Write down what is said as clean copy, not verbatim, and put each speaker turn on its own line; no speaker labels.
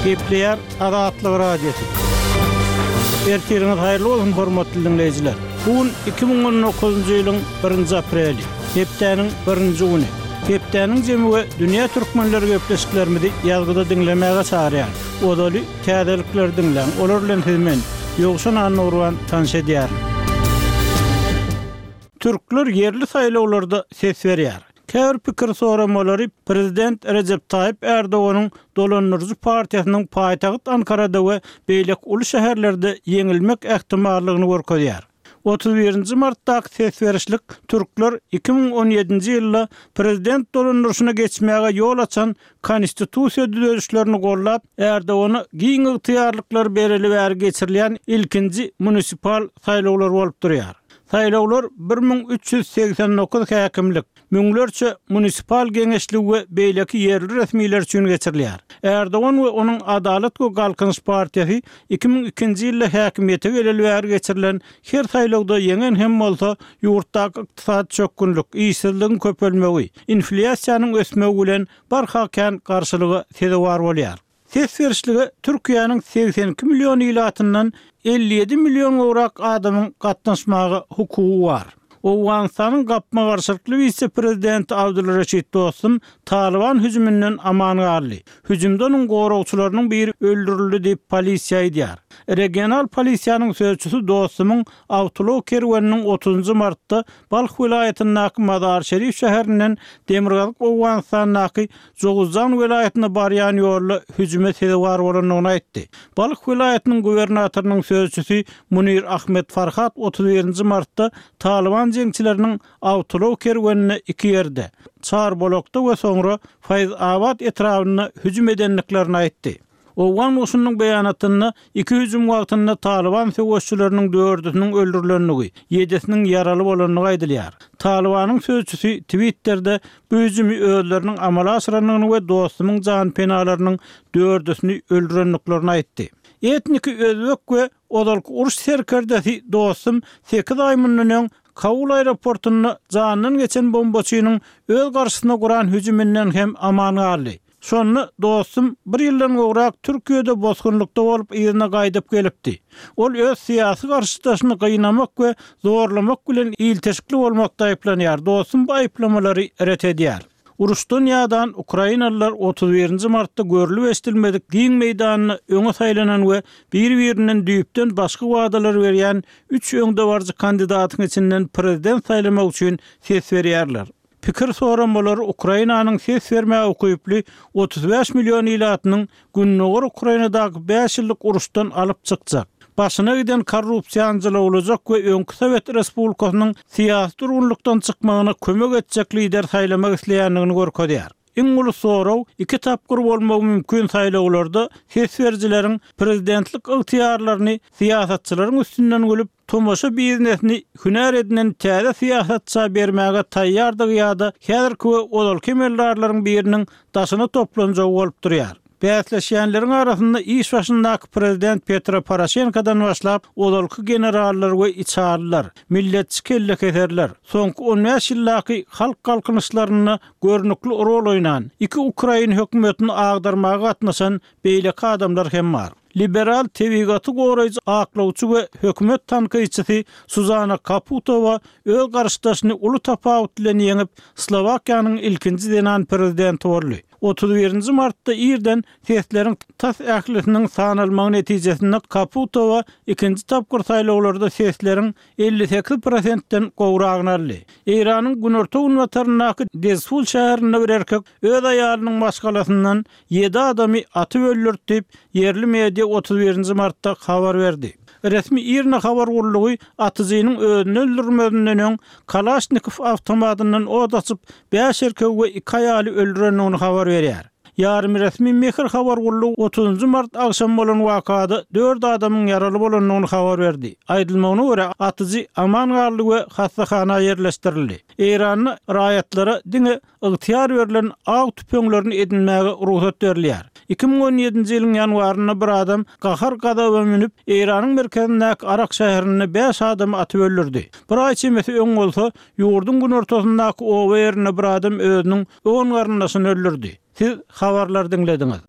Gepleýär Azatlyk Radiosy. Ertiriňiz haýyrly bolsun, hormatly diňleýjiler! Bu gün 2019-njy ýylyň birinji apreli, hepdäniň birinji güni. Hepdäniň jemi we dünýä türkmenleri gepleşiklerimizi ýazgyda diňlemäge çagyrýar. Ozaly täzelikleri diňläň, olar bilen sizi men, Ýowşan Annagurban tanyş edýärin. Türkler ýerli saýlawlarda ses berýär. Käbir pikir soramalary prezident Rejep Taýyp Ärdoganyň dolandyryjy partiýasynyň paýtagt Ankarada we beýleki uly şäherlerde ýeňilmek ähtimallygyny görkezýär. 31-nji martdaky ses berişlik türkler 2017-nji ýylda prezident dolandyryşyna geçmäge ýol açan konstitusiýa düzedişlerini goldap, Ärdogana giň ygtyýarlyklar bereli bäri geçirilýän ilkinji munisipal saýlawlar bolup durýar. Saýlawlar 1389 häkimlik, müňlerçe munisipal geňeşligi we beýleki ýerli resmiler üçin geçirilýär. Ärdogan we onuň Adalat we Galkynyş partiýasy 2002-nji ýylda häkimiýete geleli bäri geçirilen her saýlawda ýeňen hem bolsa, ýurtdaky ykdysady çökgünlik, işsizligiň köpelmegi, inflýasiýanyň ösmegi bilen barha kän garşylyga sezewar bolýar. Ses berişlige Türkiýäniň 82 million ilatyndan 57 million gowrak adamyň gatnaşmaga hukugy bar. Owganystanyň gapma-garşylykly wise-prezidenti Abdul Reşit Dostum Talyban hüjüminden aman galdy. Hüjümde onuň goragçylarynyň biri öldürildi diýip, polisiýa aýdýar. Regional polisiýanyň sözçüsi Dostumyň awtoulag kerweniniň otuzynjy martda Balh welaýatyndaky Mazar-Şerif şäherinden demirgazyk Owganystandaky Jowuzjan welaýatyna barýan ýolda hüjüme sezewar bolandygyny aýtdy. Balh welaýatynyň gubernatorynyň sözçüsi Munir Ahmed Farhat 31-nji martda Talyban jeňçileriniň awtoulag kerwenine iki ýerde, Çarbolakda we soňra Faýz-Abad etrabynda hüjüm edendiklerini aýtdy. Owgan goşunynyň beýanatynda iki hüjüm wagtynda Talyban söweşçileriniň dördüsiniň öldürilendigi, ýedisiniň ýaraly bolandygy aýdylýar. Talybanyň sözçüsi Twitterde bu hüjümi özleriniň amala aşyrandygyny we dostumyň janpenalarynyň dördüsini öldürendiklerini aýtdy. Etniki özbek we ozalky uruş serkerdesi dostum sekiz aý mundan öň Kabul aeroportynda janyndan geçen bombaçynyň öz garşysyna guran hüjüminden hem aman galdy. Şonda dostum bir ýyldan gowrak Türkiýede bosgunlykda bolup yzyna gaýdyp gelipdi. Ol öz syýasy garşydaşyny gynamak we zorlamak bilen ilteşikli bolmakda aýyplanýar. Dostum bu aýyplamalary ret edýär. Uruşdan ýadan ukrainalylar 31-nji martda görlüp-eşidilmedik giň meýdanda öňe saýlanan we bir-birinden düýpden başga wadalar berýän üç öňdebaryjy kandidatyň içinden prezident saýlamak üçin ses berýärler. Pikir soramalary Ukrainanyň ses bermäge ukyply 35 million ilatynyň gündogar Ukrainadaky bäş ýyllyk uruşdan alyp çykjak, başyna giden korrupsiýany jylawlajak we öňki sowet respublikasynyň syýasy durgunlykdan çykmagyna kömek etjek lider saýlamak isleýändigini görkezýär. Iň uly sorag iki tapgyr bolmagy mümkin saýlawlarda ses berijileriň prezidentlik ygtyýarlaryny syýasatçylaryň üstünden gülüp, tomaşa biznesini hünär edinen täze syýasatça bermäge taýýardygy ýa-da häzirki we ozalky emeldarlaryň biriniň daşyna toplanjagy bolup durýar. Bäsleşýänleriň arasynda iş başyndaky prezident Petro Poroşenkodan başlap, ozalky generallar we içalylar, milletçi kellekeserler, soňky on bäş ýyldaky halk galkynyşlarynda görnükli rol oýnan, iki ukrain hökümetini agdarmaga gatnaşan beýleki adamlar hem bar. Liberal tebigaty goraýjy aklawçy we hökümet tankytçysy Suzana Kaputowa öz garşydaşyny uly tapawut bilen ýeňip, Slowakiýanyň ilkinji zenan prezidenti boldy. 31-nji martda irden sesleriň tas ählisiniň sanalmagy netijesinde Kaputowa ikinji tapgyr saýlawlarda sesleriň 58 prosentden gowragyny aldy. Eýranyň günorta-günbataryndaky Dezful şäherinde bir erkek öz aýalynyň maşgalasyndan Ýedi adamy atyp öldürdi diýip, ýerli media 31-nji martda habar berdi. Resmi IRNA habar gullugy atyjynyň özüni öldürmezinden öň Kalaşnikow awtomatyndan ot açyp, bäş erkegi we iki aýaly öldürendigini habar berýär. Ýarymresmi Mehr habar gullugy otuzynjy mart agşamy bolan wakada dört adamyň ýaraly bolandygyny habar berdi. Aýdylmagyna görä, atyjy aman galdy we hassahana ýerleşdirildi. Eýranda raýatlara diňe ygtyýar berlen aw tüpeňlerini edinmäge rugsat berilýär. 2017-nji ýylyň ýanwarynda bir adam gahar-gazaba münüp, Eýranyň merkezindäki Arak şäherinde bäş adamy atyp öldürdi. Bir aý çemesi öň bolsa, ýurduň günortasyndaky oba ýerinde bir adam özüniň on garyndaşyny öldürdi. Siz habarlary diňlediňiz.